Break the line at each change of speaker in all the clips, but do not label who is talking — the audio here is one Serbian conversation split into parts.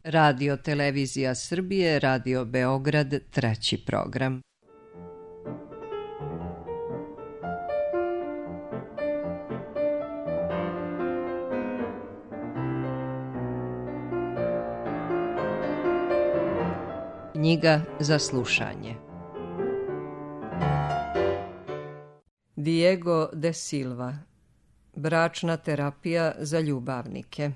Radio Televizija Srbije, Radio Beograd, 3. program. Knjiga za slušanje. Diego de Silva. Bračna terapija za ljubavnike.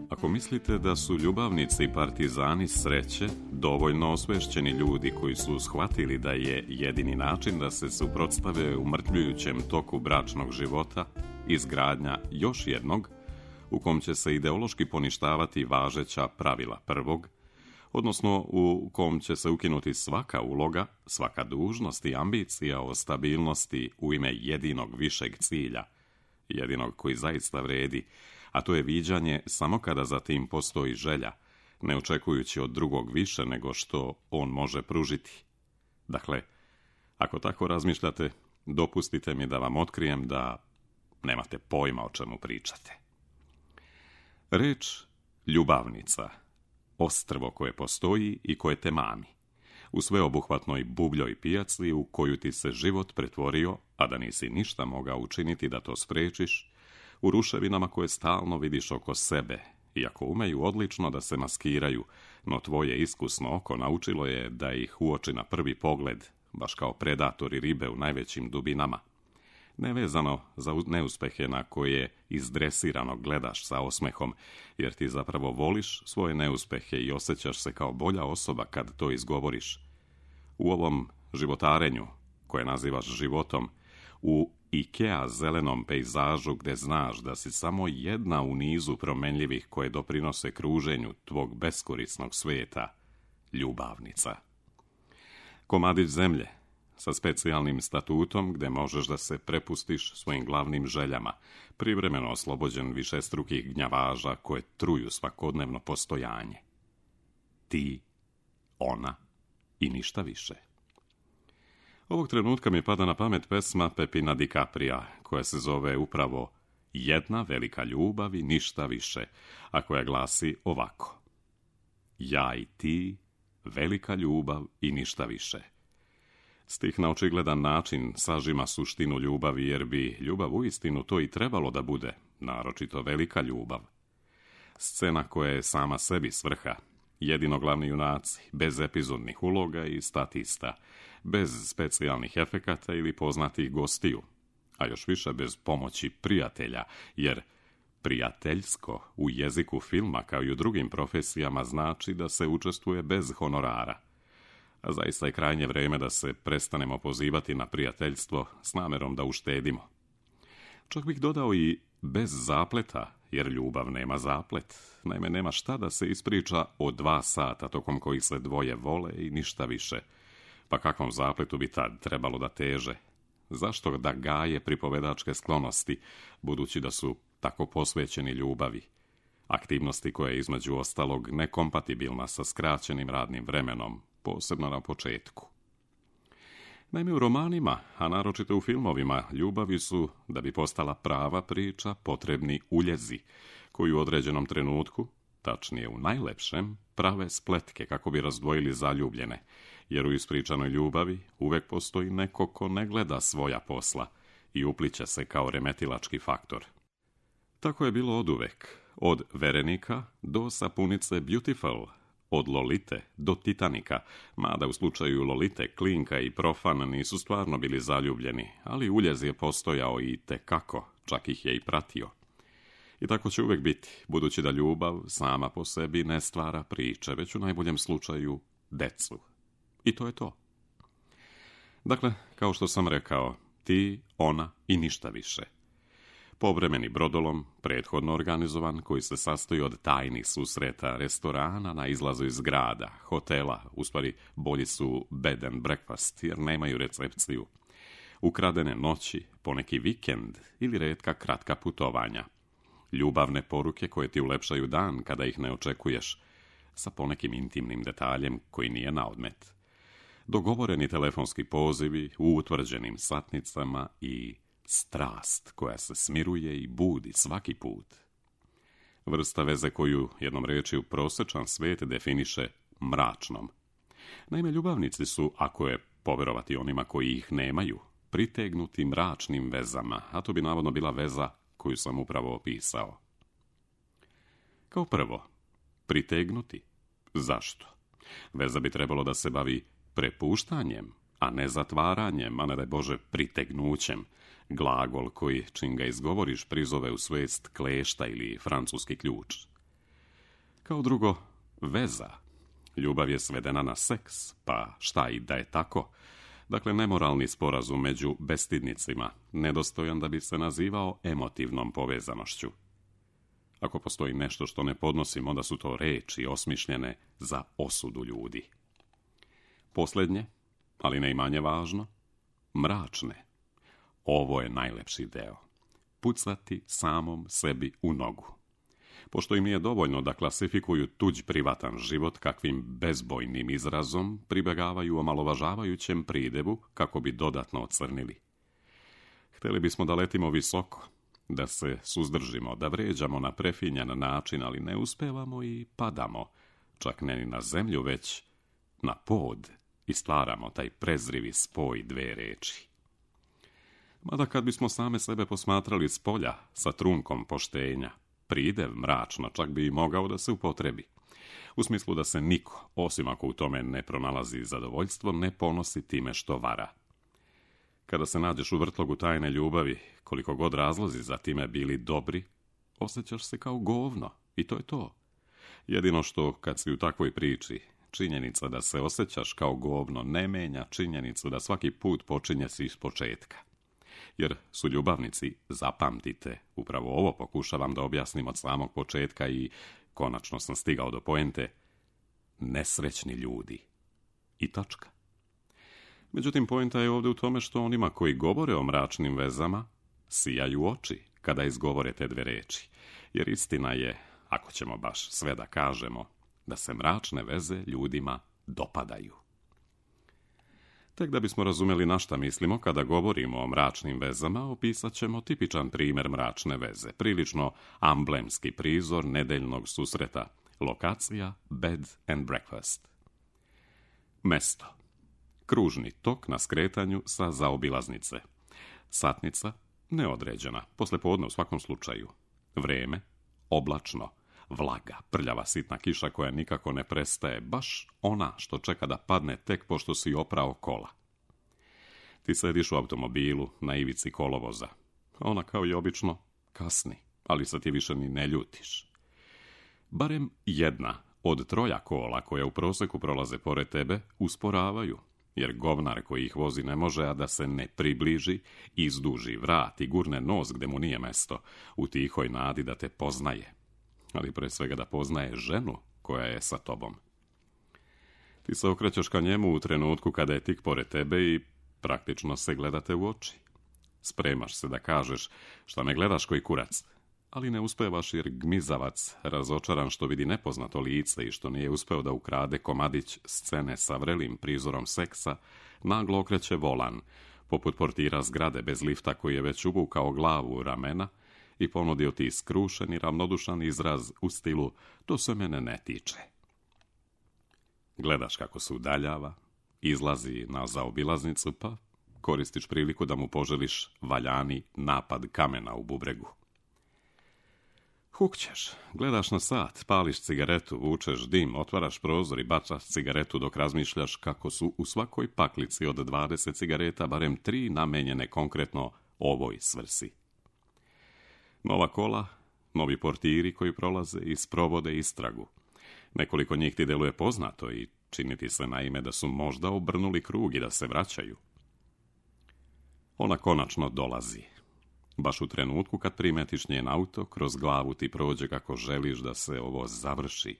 Ako mislite da su ljubavnici i partizani sreće dovoljno osvešćeni ljudi koji su shvatili da je jedini način da se suprotstave umrtljujućem toku bračnog života izgradnja još jednog u kom će se ideološki poništavati važeća pravila prvog, odnosno u kom će se ukinuti svaka uloga, svaka dužnost i ambicija o stabilnosti u ime jedinog višeg cilja, jedinog koji zaista vredi, a to je viđanje samo kada za tim postoji želja, ne očekujući od drugog više nego što on može pružiti. Dakle, ako tako razmišljate, dopustite mi da vam otkrijem da nemate pojma o čemu pričate. Reč ljubavnica, ostrvo koje postoji i koje te mami, u sveobuhvatnoj bubljoj pijaci u koju ti se život pretvorio, a da nisi ništa mogao učiniti da to sprečiš, u ruševinama koje stalno vidiš oko sebe, iako umeju odlično da se maskiraju, no tvoje iskusno oko naučilo je da ih uoči na prvi pogled, baš kao predatori ribe u najvećim dubinama. Nevezano za neuspehe na koje izdresirano gledaš sa osmehom, jer ti zapravo voliš svoje neuspehe i osjećaš se kao bolja osoba kad to izgovoriš. U ovom životarenju, koje nazivaš životom, u Ikea zelenom pejzažu gde znaš da si samo jedna u nizu promenljivih koje doprinose kruženju tvog beskorisnog sveta, ljubavnica. Komadić zemlje, sa specijalnim statutom gde možeš da se prepustiš svojim glavnim željama, privremeno oslobođen višestrukih gnjavaža koje truju svakodnevno postojanje. Ti, ona i ništa više. Ovog trenutka mi pada na pamet pesma Pepina DiCaprija, koja se zove upravo Jedna velika ljubav i ništa više, a koja glasi ovako. Ja i ti, velika ljubav i ništa više. Stih na očigledan način sažima suštinu ljubavi, jer bi ljubav uistinu to i trebalo da bude, naročito velika ljubav. Scena koja je sama sebi svrha, jedino glavni junaci, bez epizodnih uloga i statista, bez specijalnih efekata ili poznatih gostiju, a još više bez pomoći prijatelja, jer prijateljsko u jeziku filma kao i u drugim profesijama znači da se učestvuje bez honorara. A zaista je krajnje vrijeme da se prestanemo pozivati na prijateljstvo s namerom da uštedimo. Čak bih dodao i bez zapleta, jer ljubav nema zaplet. Naime, nema šta da se ispriča o 2 sata tokom kojih se dvoje vole i ništa više. Pa kakvom zapletu bi tad trebalo da teže? Zašto da gaje pripovedačke sklonosti, budući da su tako posvećeni ljubavi? Aktivnosti koja je između ostalog nekompatibilna sa skraćenim radnim vremenom, posebno na početku. Naime, u romanima, a naročito u filmovima, ljubavi su, da bi postala prava priča, potrebni uljezi, koji u određenom trenutku, tačnije u najlepšem, prave spletke kako bi razdvojili zaljubljene, jer u ispričanoj ljubavi uvek postoji neko ko ne gleda svoja posla i upliće se kao remetilački faktor. Tako je bilo oduvek, od Verenika do sapunice Beautiful, od Lolite do Titanika, mada u slučaju Lolite Klinka i Profan nisu stvarno bili zaljubljeni, ali uljez je postojao i tekako, čak ih je i pratio. I tako će uvek biti, budući da ljubav sama po sebi ne stvara priče, već u najboljem slučaju decu. I to je to. Dakle, kao što sam rekao, ti, ona i ništa više. Povremeni brodolom, prethodno organizovan, koji se sastoji od tajnih susreta, restorana na izlazu iz grada, hotela, u stvari bolji su bed and breakfast, jer nemaju recepciju, ukradene noći, poneki vikend ili retka kratka putovanja, ljubavne poruke koje ti ulepšaju dan kada ih ne očekuješ, sa ponekim intimnim detaljem koji nije na odmet. dogovoreni telefonski pozivi u utvrđenim satnicama i strast koja se smiruje i budi svaki put. Vrsta veze koju, jednom riječju, prosječan svijet definiše mračnom. Naime, ljubavnici su, ako je povjerovati onima koji ih nemaju, pritegnuti mračnim vezama, a to bi navodno bila veza koju sam upravo opisao. Kao prvo, pritegnuti. Zašto? Veza bi trebalo da se bavi prepuštanjem, a ne zatvaranjem, a ne daj Bože pritegnućem, glagol koji, čim ga izgovoriš, prizove u svijest klešta ili francuski ključ. Kao drugo, veza. Ljubav je svedena na seks, pa šta i da je tako? Dakle, nemoralni sporazum među bestidnicima, nedostojan da bi se nazivao emotivnom povezanošću. Ako postoji nešto što ne podnosim, onda su to reči osmišljene za osudu ljudi. Posljednje, ali ne i manje važno, mračne. Ovo je najlepši deo. Pucati samom sebi u nogu. Pošto im nije dovoljno da klasifikuju tuđ privatan život kakvim bezbojnim izrazom, pribegavaju omalovažavajućem pridevu kako bi dodatno ocrnili. Htjeli bismo da letimo visoko, da se suzdržimo, da vređamo na prefinjan način, ali ne uspevamo i padamo, čak ne ni na zemlju, već na pod, i stvaramo taj prezrivi spoj dve reči. Mada kad bismo same sebe posmatrali s polja sa trunkom poštenja, pridev mračno čak bi i mogao da se upotrebi. U smislu da se niko, osim ako u tome ne pronalazi zadovoljstvo, ne ponosi time što vara. Kada se nađeš u vrtlogu tajne ljubavi, koliko god razlozi za time bili dobri, osjećaš se kao govno i to je to. Jedino što, kad si u takvoj priči, činjenica da se osjećaš kao govno ne menja činjenicu da svaki put počinje si iz početka. Jer su ljubavnici, zapamtite, upravo ovo pokušavam da objasnim od samog početka i konačno sam stigao do poente, nesrećni ljudi. I tačka. Međutim, poenta je ovdje u tome što onima koji govore o mračnim vezama sijaju oči kada izgovore te dve reči. Jer istina je, ako ćemo baš sve da kažemo, da se mračne veze ljudima dopadaju. Tek da bismo razumjeli na šta mislimo kada govorimo o mračnim vezama, opisat ćemo tipičan primjer mračne veze, prilično amblemski prizor nedeljnog susreta, lokacija bed and breakfast. Mesto. Kružni tok na skretanju sa zaobilaznice. Satnica neodređena, poslijepodne u svakom slučaju. Vreme oblačno, vlaga, prljava sitna kiša koja nikako ne prestaje, baš ona što čeka da padne tek pošto si oprao kola. Ti sediš u automobilu na ivici kolovoza. Ona kao i obično kasni, ali se ti više ni ne ljutiš. Barem jedna od troja kola koja u prosjeku prolaze pored tebe usporavaju, jer govnar koji ih vozi ne može, a da se ne približi, izduži vrat i gurne nos gde mu nije mesto, u tihoj nadi da te poznaje, ali pre svega da poznaje ženu koja je sa tobom. Ti se okrećeš ka njemu u trenutku kada je tik pored tebe i praktično se gledate u oči. Spremaš se da kažeš šta me gledaš koji kurac, ali ne uspevaš jer gmizavac, razočaran što vidi nepoznato lice i što nije uspeo da ukrade komadić scene sa vrelim prizorom seksa, naglo okreće volan, poput portira zgrade bez lifta koji je već uvukao glavu u ramena i ponudio ti skrušen i ravnodušan izraz u stilu to se mene ne tiče. Gledaš kako se udaljava, izlazi na zaobilaznicu pa koristiš priliku da mu poželiš valjani napad kamena u bubregu. Hukćeš, gledaš na sat, pališ cigaretu, vučeš dim, otvaraš prozor i bacaš cigaretu dok razmišljaš kako su u svakoj paklici od 20 cigareta barem 3 namenjene konkretno ovoj svrsi. Nova kola, novi portiri koji prolaze i sprovode istragu. Nekoliko njih ti deluje poznato i čini ti se naime da su možda obrnuli krug i da se vraćaju. Ona konačno dolazi. Baš u trenutku kad primetiš njen auto, kroz glavu ti prođe kako želiš da se ovo završi.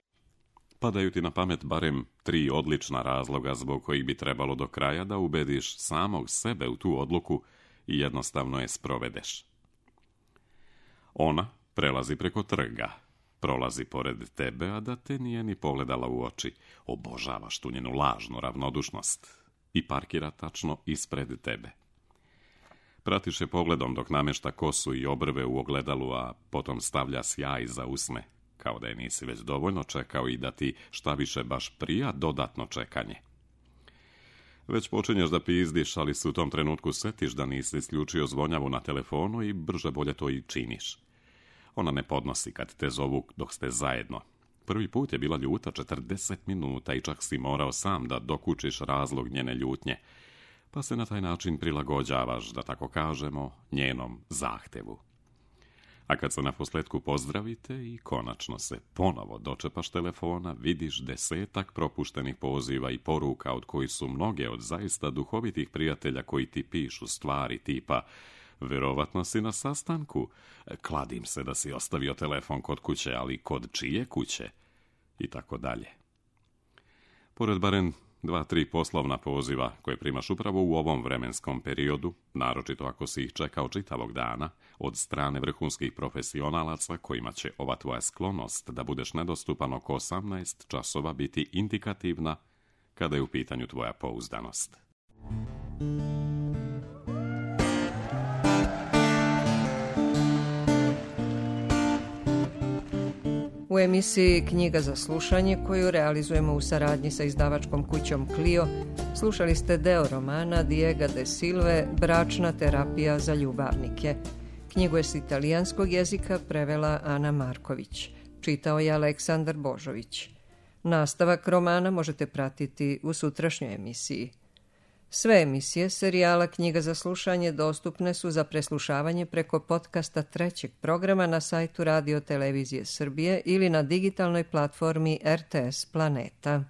Padaju ti na pamet barem 3 odlična razloga zbog kojih bi trebalo do kraja da ubediš samog sebe u tu odluku i jednostavno je sprovedeš. Ona prelazi preko trga, prolazi pored tebe, a da te nije ni pogledala u oči. Obožavaš tu njenu lažnu ravnodušnost. i parkira tačno ispred tebe. Pratiš je pogledom dok namješta kosu i obrve u ogledalu, a potom stavlja sjaj za usne, kao da je nisi već dovoljno čekao i da ti šta više baš prija dodatno čekanje. Već počinješ da pizdiš, ali se u tom trenutku setiš da nisi isključio zvonjavu na telefonu i brže bolje to i činiš. Ona ne podnosi kad te zovu dok ste zajedno. Prvi put je bila ljuta 40 minuta i čak si morao sam da dokučiš razlog njene ljutnje, pa se na taj način prilagođavaš, da tako kažemo, njenom zahtevu. A kad se naposljetku pozdravite i konačno se ponovo dočepaš telefona, vidiš 10 propuštenih poziva i poruka, od kojih su mnoge od zaista duhovitih prijatelja koji ti pišu stvari tipa verovatno si na sastanku, kladim se da si ostavio telefon kod kuće, ali kod čije kuće? I tako dalje. Pored barem 2-3 poslovna poziva koje primaš upravo u ovom vremenskom periodu, naročito ako si ih čekao čitavog dana, od strane vrhunskih profesionalaca kojima će ova tvoja sklonost da budeš nedostupan oko 18 časova biti indikativna kada je u pitanju tvoja pouzdanost.
U emisiji Knjiga za slušanje, koju realizujemo u saradnji sa izdavačkom kućom Clio, slušali ste deo romana Diega de Silve Bračna terapija za ljubavnike. Knjigu je s italijanskog jezika prevela Ana Marković. Čitao je Aleksandar Božović. Nastavak romana možete pratiti u sutrašnjoj emisiji. Sve emisije serijala Knjiga za slušanje dostupne su za preslušavanje preko podcasta trećeg programa na sajtu Radio Televizije Srbije ili na digitalnoj platformi RTS Planeta.